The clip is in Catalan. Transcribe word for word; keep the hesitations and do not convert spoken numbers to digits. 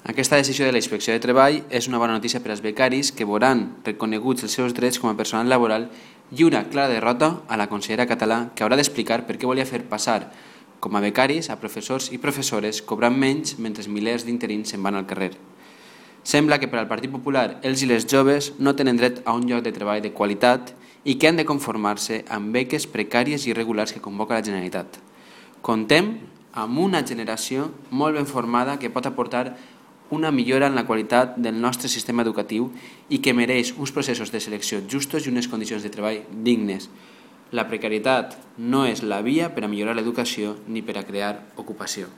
Aquesta decisió de la Inspecció de Treball és una bona notícia per als becaris que veuran reconeguts els seus drets com a personal laboral i una clara derrota a la consellera Català, que haurà d'explicar per què volia fer passar com a becaris a professors i professores cobrant menys mentre milers d'interins se'n van al carrer. Sembla que per al Partit Popular els i les joves no tenen dret a un lloc de treball de qualitat i que han de conformar-se amb beques precàries i irregulars que convoca la Generalitat. Contem amb una generació molt ben formada que pot aportar una millora en la qualitat del nostre sistema educatiu i que mereix uns processos de selecció justos i unes condicions de treball dignes. La precarietat no és la via per a millorar l'educació ni per a crear ocupació.